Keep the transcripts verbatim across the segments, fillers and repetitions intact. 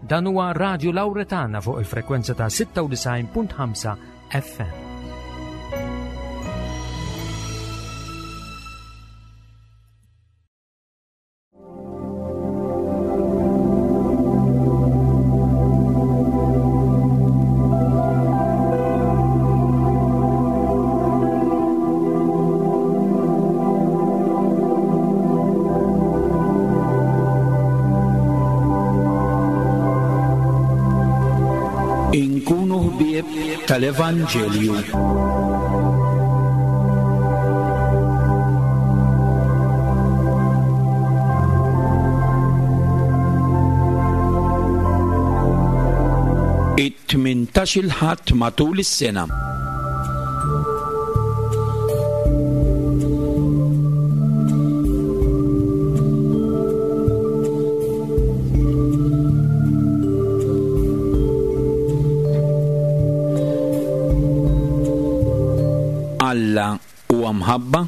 Dan huwa Radio Lauretana fuq il-frekwenza ta' sitta u disgħin punt ħamsa F M. Inkunu ħbieb tal-Evanġelju. It-tmintax-il Ħadd matul is-sena. Alla huwa mħabba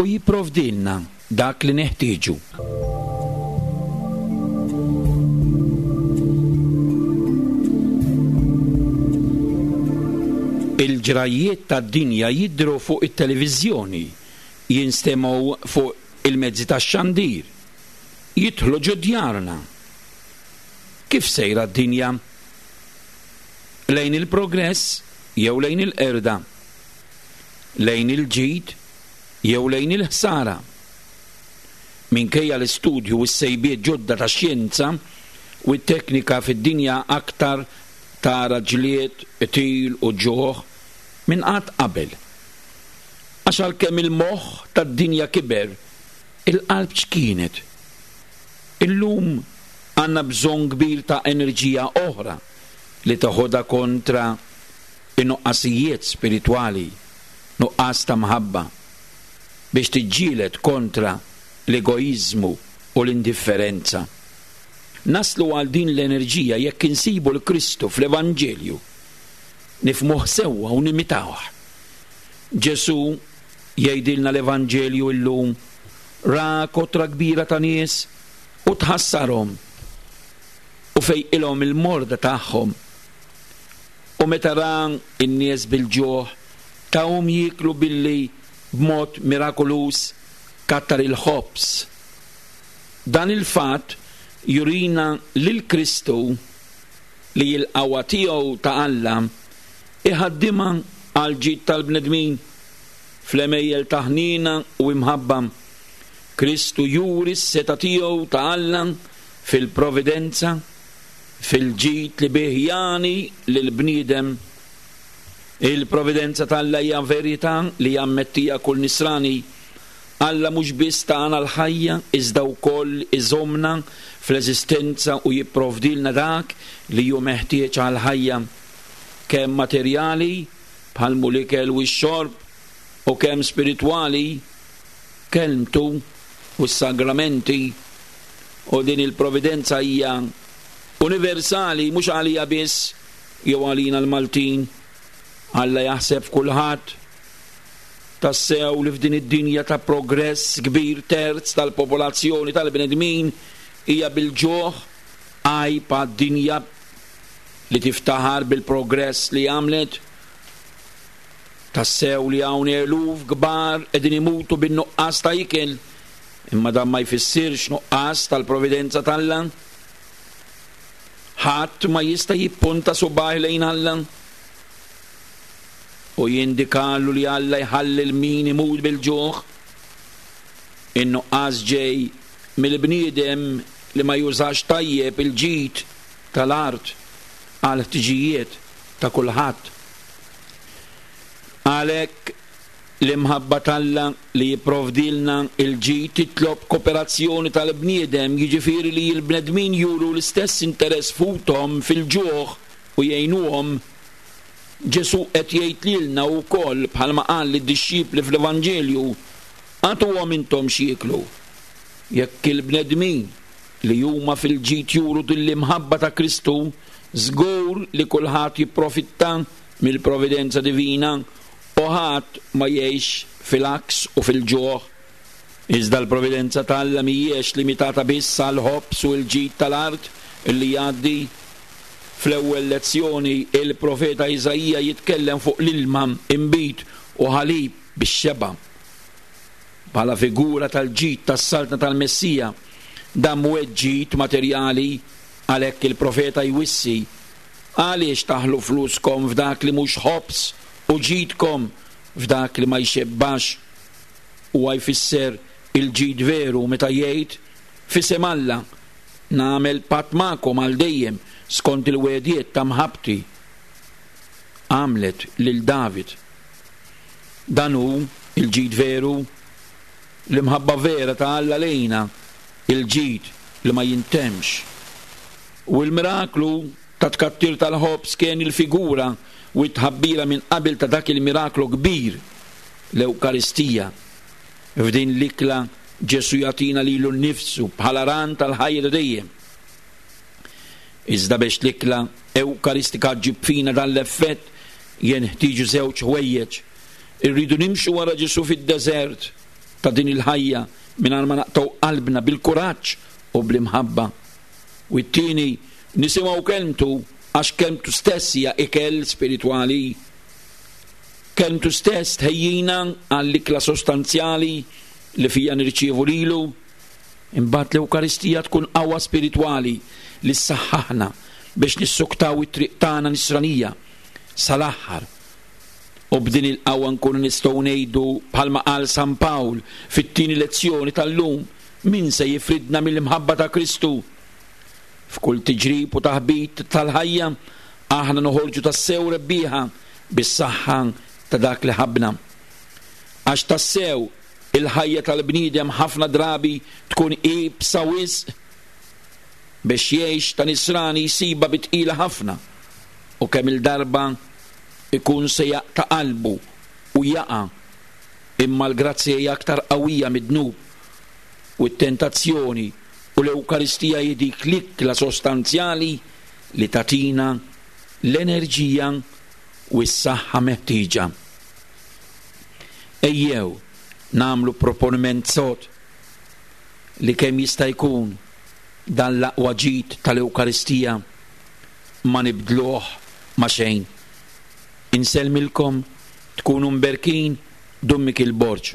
u jipprovdilna dak li neħtieġu. Il-ġrajiet tad-dinja jidhru fuq it-televiżjoni, jinstemgħu fuq il-mezzi tax-xandir, jidħlu ġo djarna. Kif sejra d-dinja? Lejn il-progress jew lejn il-qerda? Lejn il-ġid jew lejn il-ħsara? Minkejja l-istudju u s-sejbiet ġodda tax-xjenza u t-teknika fid-dinja aktar tara ġlied, qtil u ġuħ minn qatt qabel. Għax għalkemm il-moħħ tad-dinja kiber, il-qalb x'kienet? Illum għandna bżonn kbir ta' enerġija oħra li teħodha kontra in-nuqqasijiet spiritwali, nuqqas ta' mħabba, biex tiġġieled kontra l-egoiżmu u l-indifferenza. Naslu għal din l-enerġija jekk insibu l-Kristu fl-Evanġelju, nifhmuh sewwa u nimitawh. Ġesu jgħidilna l-Evanġelju illum, ra kotra kbira ta' nies u tħassarhom u fejqilhom il-morda tagħhom. U meta ra n-nies bil-ġuħ, tahom jieklu billi b'mod mirakoluż kattar il-ħobż. Dan il-fatt jurina lil Kristu li l-qawwa tiegħu ta' Alla iħaddimha għal ġid tal-bnedmin fl-għemejjel ta' ħniena u imħabba. Kristu juri s-seta tiegħu ta' Alla fil-providenza, fil-ġid li bih jani lill-bniedem. Il-providenza t'Alla hija verità li jammettija kull nisrani. Alla mhux biss tagħna l-ħajja, iżda wkoll iżommna fl-eżistenza u jipprovdilna dak li hu meħtieġ għall-ħajja, kemm materjali bħal mhu l-ikel u x-xorb, u kemm spiritwali, kelmtu u s-sagramenti. U din il-providenza hija universali, mhux għalija biss jew għalina l-Maltin. Alla jaħseb f'kulħadd. Tassew li f'din id-dinja ta' progress kbir terz tal-popolazzjoni tal-bnedmin hija bil-ġuħ, għajb għad-dinja li tiftaħar bil-progress li għamlet. Tassew li hawn eluf kbar qegħdin imutu bin-nuqqas ta' ikel, imma dan ma jfissirx nuqqas tal-providenza t'Alla. Ħadd ma jista' jippunta subgħajh lejn Alla u jindikalu li Alla jħalli l min imut bil-ġuħ. In-nuqqas ġej mill-bniedem li ma jużax tajjeb il-ġid tal-art għal ħtiġijiet ta' kulħadd. Għalhekk l-imħabba t'Alla li jipprovdilna il-ġid titlob kooperazzjoni tal-bniedem, jiġifieri li l-bnedmin juru l-istess interess fuqhom fil-ġuħ u jgħinuhom. Ġesu qed jgħid lilna wkoll bħalma qal lid-dixxipli fl-Evanġelju, agħtuhom intom x'jieklu. Jekk il-bnedmin li huma fil-ġid juru din l-imħabba ta' Kristu, żgur li kulħadd jipprofitta mill-providenza divina u ħadd ma jgħix fil-għaks u fil-ġuħ. Iżda l-providenza t'Alla mhijiex limitata biss għall-ħobż u l-ġid tal-art li jgħaddi. Fl-ewwel lezzjoni il-profeta Iżaija jitkellem fuq l-ilma, inbid u ħalib bix-xeba'. Bħala figura tal-ġid tas-saltna tal-Messija, dan mhuwiex ġid materjali, għalhekk il-profeta jwissi: għaliex taħlu fluskom f'dak li mhux ħobż u ġidkom f'dak li ma jxebbax? Huwa jfisser il-ġid veru meta jgħid: f'isem Alla nagħmel patt magħkom għal dejjem skont il-wegħdiet ta' mħabbti għamlet lil David. Dan hu il-ġid veru, l-imħabba vera ta' Alla lejna, il-ġid li ma jintemx. U l-miraklu ta' tkattir tal-ħobż kien il-figura u t-tħabbira minn qabel ta' dak il-miraklu kbir, l-Ewkaristija. F'din l-ikla Ġesu jagħtina lilu nnifsu bħala ran tal-ħajja ta' dejjem. Iżda biex l-ikla Ewkaristika ġġib fina dan l-effett jenħtieġu żewġ ħwejjeġ. Irridu nimxu wara Ġesu fid-deżert ta' din il-ħajja mingħajr ma naqtgħu qalbna bil-kuraġġ u bl-imħabba. U t-tieni, nisimgħu kelmtu, għax kelmtu stess hija ikel spiritwali. Kelmtu stess tħejjina għall-ikla sostanzjali li fija nirċievu lilu. Imbagħad l-Ewkaristija tkun qawwa spiritwali li ssaħħaħna biex nissuktaw it-triq tagħna nisranija sal-aħħar. U b'din il-qawwa nkunu nistgħu ngħidu bħalma qal San Pawl fit-tieni lezzjoni tal-lum: min se jifridna mill-imħabba ta' Kristu? F'kull tiġrib u taħbit tal-ħajja aħna noħorġu tassew rebbieħa bis-saħħa ta' dak li ħabna. Għax tassew il-ħajja tal-bniedem ħafna drabi tkun iebsa wisq biex jgħix ta' nisrani jsibha bi tqila ħafna, u kemm il-darba ikun se jaqta' qalbu u jaqa', imma l-grazzja hija aktar qawwija mid-dnub u t-tentazzjoni, u l-Ewkaristija hi dik l-ikla sostanzjali li tagħtina l-enerġija u s-saħħa meħtieġa. Ejjew nagħmlu proponiment sod li kemm jista' jkun dan l-aqwa ġid tal-Ewkaristija ma nibdluh ma' xejn. Insellmilkom, tkunu mberkin, Dun Mikiel Borg.